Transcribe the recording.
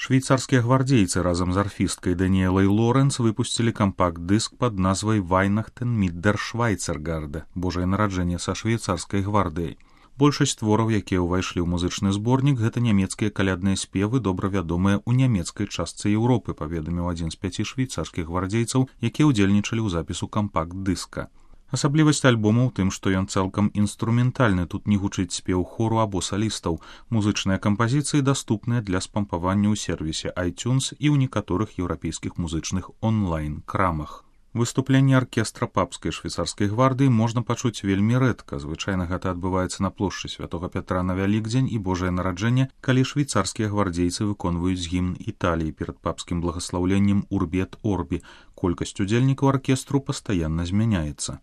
Швейцарскія гвардейцы разам з арфісткай Даніэлай Лоренц выпусцілі кампакт-дыск пад назвай «Weihnachten mit der Schweizergarde» – «Божае нараджэнне са швейцарскай гвардыяй». Большасць твораў, якія ўвайшлі ў музычны зборнік, гэта нямецкія калядныя спевы, добра вядомыя ў нямецкай частцы Еўропы, паведаміў адзін з 5 швейцарскіх гвардейцаў, якія ўдзельнічалі ў запісу кампакт-дыска. Асаблівасць альбома ў тым, што ён цалкам інструментальны, тут не гучыць спеў хору або салістаў. Музычныя кампазіцыі даступныя для спампавання ў сервісе iTunes і ў некаторых еўрапейскіх музычных онлайн-крамах. Выступленне аркестра папскай швейцарскай гвардыі можна пачуць вельмі рэдка. Звычайна гэта адбываецца на плошчы Святога Пятра на Вялікдзень і Божае нараджэнне, калі швейцарскія гвардейцы выконваюць гімн Італіі перад папскім благаслаўленнем «Урбі эт Орбі». Колькасць удзельнікаў аркестру пастаянна змяняецца.